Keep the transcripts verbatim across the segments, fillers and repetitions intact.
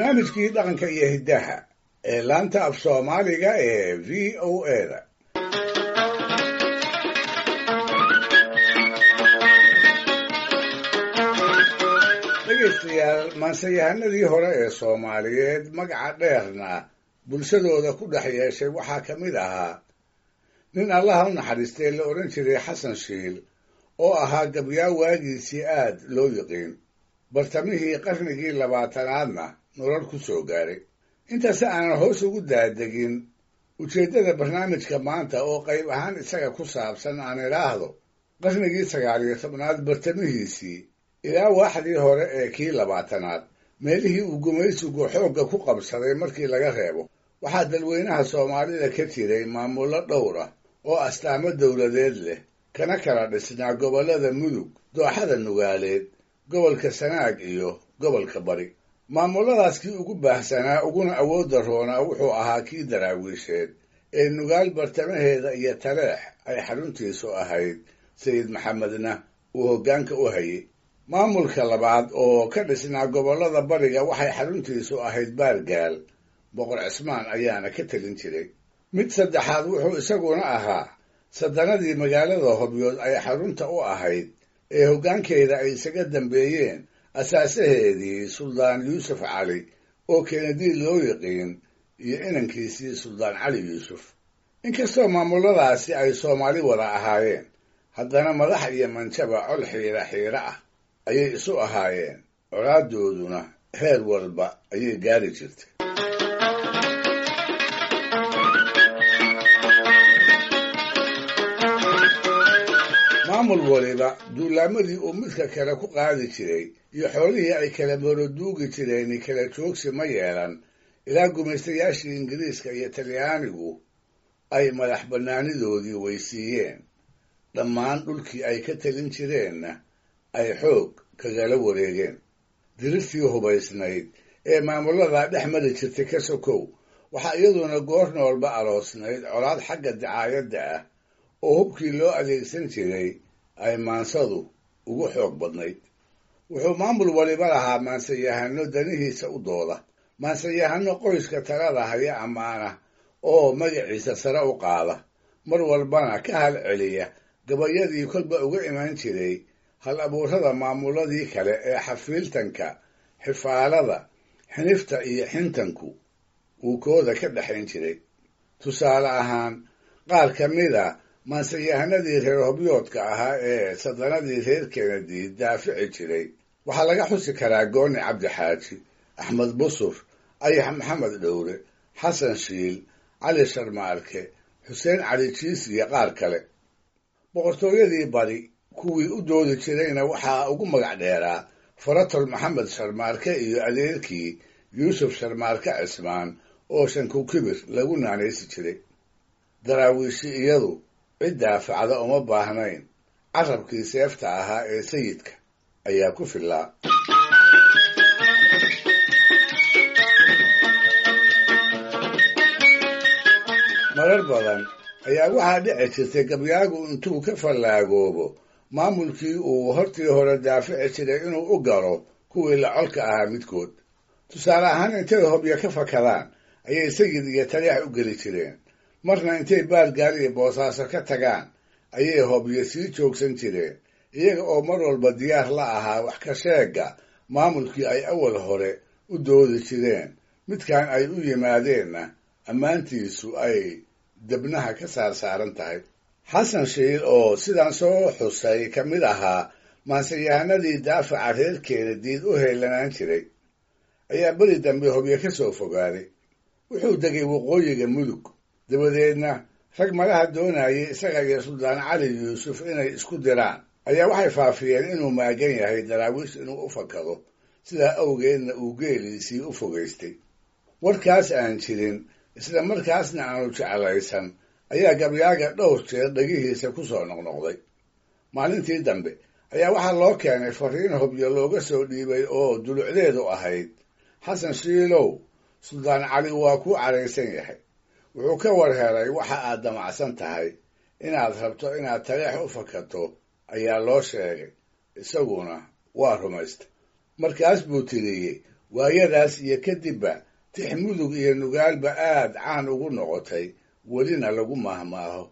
Barnaamijkii dhaqanka iyo hiddaha ee laanta af Soomaaliga ee V O A da. Dhegaystayaal, maanseyahanadii hore ee Soomaaliyeed magaca dheerna bulshadooda ku dhex yeeshay waxaa ka mid ahaa nin Allaha u naxariistay la odhan jiray Xasan Shiil, oo ahaa gabyaa waagiisii aad loo yiqiin, bartamihii qarnigii labaatanaadna nolol ku soo gaaray. Intaasi aanan hoos ugu daadegin ujeeddada barnaamijka maanta oo qayb ahaan isaga ku saabsan, aan idhaahdo qarnigii sagaal iyo tobnaad bartamihiisii ilaa waaxdii hore ee kii labaatanaad, meelihii uu gumaysigu xoogga ku qabsaday markii laga reebo, waxaa dadweynaha Soomaalida ka jiray maamullo dhowr ah oo astaamo dowladeed leh, kana kala dhisnaa gobollada Mudug, Dooxada Nugaaleed, gobolka Sanaag iyo gobolka Bari. Maamulladaas kii ugu baahsanaa uguna awoodda roonaa wuxuu ahaa kii Daraawiisheed ee Nugaal bartamaheeda iyo Taleex ay xaruntiisu ahayd, Sayid Maxamedna uu hoggaanka u hayay. Maamulka labaad oo ka dhisnaa gobollada Bariga waxay xaruntiisu ahayd Baargaal, Boqor Cismaan ayaana ka telin jiray. Mid saddexaad wuxuu isaguna ahaa sadanadii magaalada Hobyood ay xarunta u ahayd ee hoggaankeeda ay isaga dambeeyeen asaasaheedii Suldaan Yuusuf Cali oo Kennedy loo yiqiin iyo inankiisii Suldaan Cali Yuusuf. Inkastoo maamulladaasi ay Soomaali wada ahaayeen, haddana madax iyo manjaba col xiira xiira ah ayay isu ahaayeen, colaadooduna heer walba ayay gaari jirtay. Maamul waliba duulaamadii uu midka kale ku qaadi jiray iyo xoolihii ay kala moroduugi jireen kala joogsi ma yeelan ilaa gumaystayaashii Ingiriiska iyo Talyaanigu ay madax bannaanidoodii weysiiyeen, dhammaan dhulkii ay ka telin jireenna ay xoog kagala wareegeen. Dirirtii hubaysnayd ee maamulladaa dhex mari jirtay ka sokow, waxaa iyaduna goor noolba aloosnayd colaad xagga dacaayadda ah oo hubkii loo adeegsan jiray ay maansadu ugu xoog badnayd. Wuxuu maamul waliba lahaa maansayahano danihiisa u dooda, maansayahano qoyska talada haya ammaana oo magaciisa sare u qaada, mar walbana ka hal celiya gabayadii kolba uga iman jiray hal abuurada maamulladii kale ee xafiiltanka, xifaalada, xinifta iyo xintanku uu kooda ka dhexayn jiray. Tusaale ahaan, qaar ka mid a maansayahanadii reer Hobyoodka ahaa ee sadanadii reer Kennedy daafici jiray waxaa laga xusi karaa Gooni Cabdi Xaaji, Axmed Busur, Ayax Maxamed Dhowre, Xasan Shiil, Cali Sharmaarke, Xuseen Cali Jiis iyo qaar kale. Boqortooyadii Bari kuwii u doodi jirayna waxaa ugu magac dheeraa Faratol Maxamed Sharmaarke iyo adeerkii Yuusuf Sharmaarke Cismaan oo Shankukibir lagu naanaysi jiray. Daraawiishi iyadu cid daafacda uma baahnayn, carabkii seefta ahaa ee sayidka ayaa ku fillaa. Marar badan ayaa waxaa dhici jirtay gabyaagu intuu ka fallaagoobo maamulkii uu hortii hore daafici jiray inuu u galo kuwii la colka ahaa midkood. Tusaale ahaan, intay Hobyo ka fakadaan ayay Sayid iyo Taleex u geli jireen, marna intay Baargaal iyo Boosaaso ka tagaan ayay Hobyo sii joogsan jireen, iyaga oo mar walba diyaar la ahaa wax ka sheegga maamulkii ay awal hore u doodi jireen, midkan ay u yimaadeenna ammaantiisu ay debnaha ka saarsaaran tahay. Xasan Shiil oo sidaan soo xusay ka mid ahaa maanseyahanadii daafaca reer Kennedy u heelanaan jiray ayaa beri dambe Hobyo ka soo fogaaday. Wuxuu degay waqooyiga Mudug, dabadeedna rag malaha doonayay isaga iyo Suldaan Cali Yuusuf inay isku diraan ayaa waxay faafiyeen inuu maagan yahay Daraawiish inuu u fakado, sidaa awgeedna uu geeliisii u fogaystay. Warkaas aan jirin isla markaasna aanu jeclaysan ayaa gabyaaga dhowr jeer dhegihiisa ku soo noqnoqday. Maalintii dambe ayaa waxaa loo keenay fariin Hobyo looga soo dhiibay oo dulucdeedu ahayd: Xasan Shiilow, Suldaan Cali waa kuu caraysan yahay, wuxuu ka war helay waxa aad damacsan tahay, inaad rabto inaad Taleex u fakato ayaa loo sheegay, isaguna waa rumaystay. Markaas buu tiriyey Waayadaas iyo kadibba tix mudug iyo nugaalba aad caan ugu noqotay, welina lagu maahmaaho.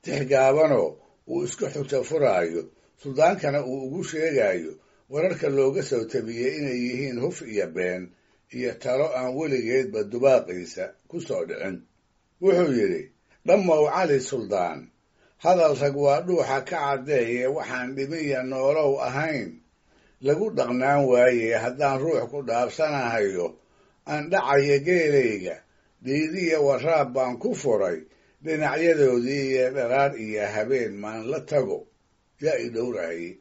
Tix gaabanoo uu iska xujo furaayo, suldaankana uu ugu sheegayo wararka looga soo tabiyey inay yihiin huf iyo been iyo talo aan weligeedba dubaaqiisa ku soo dhicin. Wuxuu yidhi: Dhammow Cali Suldaan, hadal rag waa dhuuxa ka caddeeye, waxaan dhimiya noolow ahayn lagu dhaqnaan waaye, haddaan ruux ku dhaabsanahayo aan dhacaya geelayga, dhiidiya waraab baan ku furay dhinacyadoodii iyo dharaar iyo habeen maan la tago, yaa i dhowrahayey.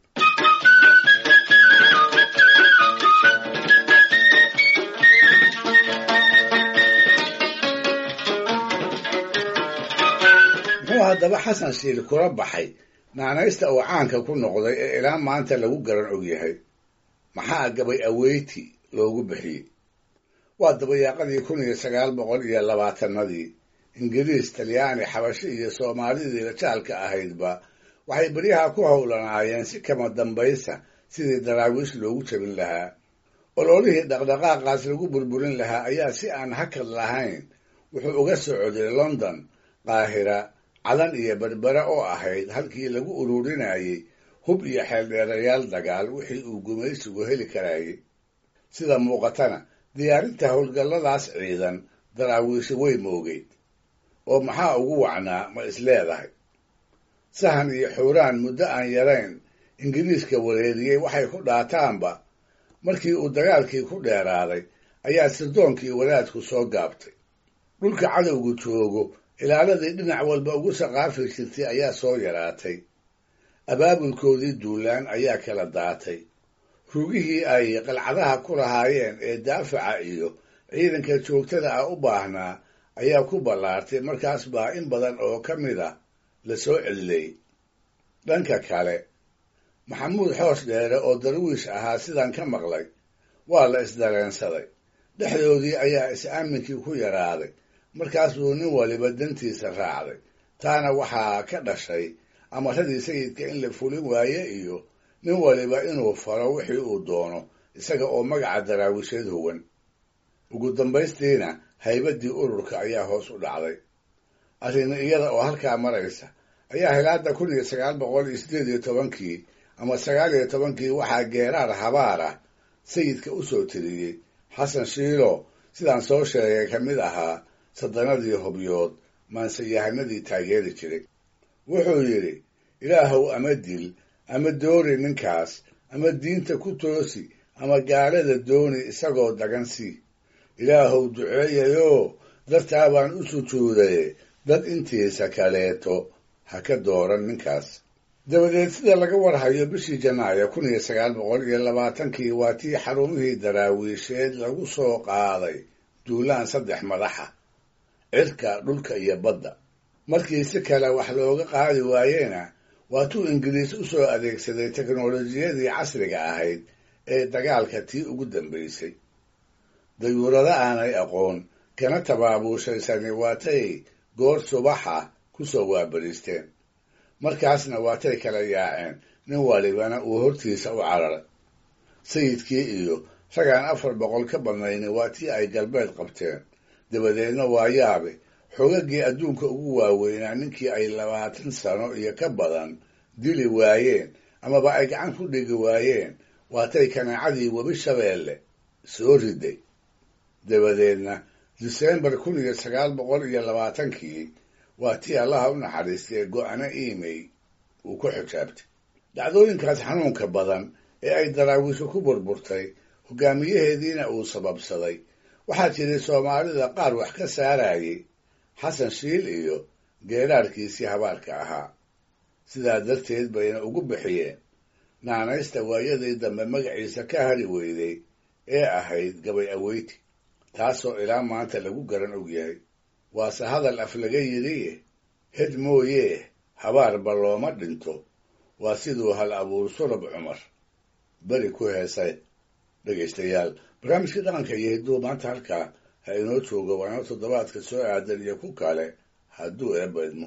Muxuu haddaba Xasan Shiil kula baxay naanaysta uu caanka ku noqday ee ilaa maanta lagu garan og yahay? Maxaa gabay aweyti loogu bixiyey? Waa dabayaaqadii kun iyo sagaal boqol iyo labaatanadii. Ingiriis, Talyaani, Xabashi iyo Soomaalidii rajaalka ahaydba waxay beryaha ku howlanaayeen si kama dambaysa sidii Daraawiish loogu jabin lahaa. Ololihii dhaqdhaqaaqaas lagu burburin lahaa ayaa si aan hakad lahayn wuxuu uga socday London, Qaahira, Cadan iyo Berbere oo ahayd halkii lagu ururinayey hub iyo xeeldheerayaal dagaal wixii uu gumaysigu heli karayey. Sida muuqatana diyaarinta howlgalladaas ciidan Daraawiishi way moogeyd. Oo maxaa ugu wacnaa ma is leedahay? Sahan iyo xuuraan muddo aan yarayn Ingiriiska wareeriyey waxay ku dhaataanba markii uu dagaalkii ku dheeraaday ayaa sirdoonkii wadaadku soo gaabtay. Dhulka cadowgu joogo ilaaladii dhinac walba ugu saqaafi jirtay ayaa soo yaraatay. Abaabulkoodii duulaan ayaa kala daatay. Rugihii ay qalcadaha ku lahaayeen ee daafaca iyo ciidanka joogtada ah u baahnaa ayaa ku ballaartay, markaas baa in badan oo ka mid ah la soo celilay. Dhanka kale, Maxamuud Xoos Dheere oo darwiish ahaa sidaan ka maqlay waa la isdareensaday. Dhexdoodii ayaa is-aaminkii ku yaraaday, markaas buu nin waliba dantiisa raacday. Taana waxaa ka dhashay amaradii sayidka in la fulin waaye iyo nin waliba inuu faro wixii uu doono isaga oo magaca Daraawiisheed huwan. Ugu dambaystiina haybaddii ururka ayaa hoos u dhacday. Arrin iyada oo halkaa maraysa ayaa hilaada kun iyo sagaal boqol iyo siddeed iyo tobankii ama sagaal iyo tobankii waxaa geeraar habaar ah sayidka u soo tiriyey Xasan Shiilo, sidaan soo sheegay ka mid ahaa saddanadii hobyood maanseyahanadii taageeri jiray. Wuxuu yidhi: Ilaahow ama dil ama doori ninkaas, ama diinta ku toosi, ama gaalada dooni isagoo dagan sii. Ilaahow duceeyayoo dartaa baan u sujuudaye, dad intiisa kaleeto ha ka dooran ninkaas. Dabadeed sida laga warhayo bishii Janaayo kun iyo sagaal boqol iyo labaatankii waa tii xarumihii Daraawiisheed lagu soo qaaday duulaan saddex madaxa, cirka, dhulka iyo badda. Markii si kale wax looga qaadi waayena waa tuu Ingiriis u soo adeegsaday teknolojiyadii casriga ahayd ee dagaalka tii ugu dambaysay. Dayuurado aanay aqoon kana tabaabuushaysani waatay goor subaxa ku soo waabariisteen. Markaasna waatay kala yaaceen, nin walibana uu hortiisa u cararay. Sayidkii iyo ragaan afar boqol ka badnayni waa tii ay galbeed qabteen. Dabadeedna waa yaabe, xogaggii adduunka ugu waaweynaa ninkii ay labaatan sano iyo ka badan dili waayeen amaba ay gacan ku dhigi waayeen waatay kanaacadii webi Shabeelle soo riday. Dabadeedna Disembar kun iyo sagaal boqol iyo labaatankii waa tii Allaha u naxariistay go'ana iimey uu ku xijaabtay. Dhacdooyinkaas xanuunka badan ee ay Daraawiishu ku burburtay, hogaamiyaheediina uu sababsaday, waxaa jiray Soomaalida qaar wax ka saarayay Xasan Shiil iyo geeraarkiisii habaarka ahaa. Sidaa darteed bayna ugu bixiyeen naanaysta waayadii dambe magaciisa ka hari weyday ee ahayd gabay aweyti, taasoo ilaa maanta lagu garan og yahay. Waase hadal af laga yidhiye, hed mooyee habaarba looma dhinto, waa siduu hal abuur Surab Cumar beri ku heesay. Dhegaystayaal, barnaamijkii dhaqanka iyo hidduu maanta halkaa ha inoo joogo, waana toddobaadka soo aadan iyo ku kale hadduu Eebba idmo.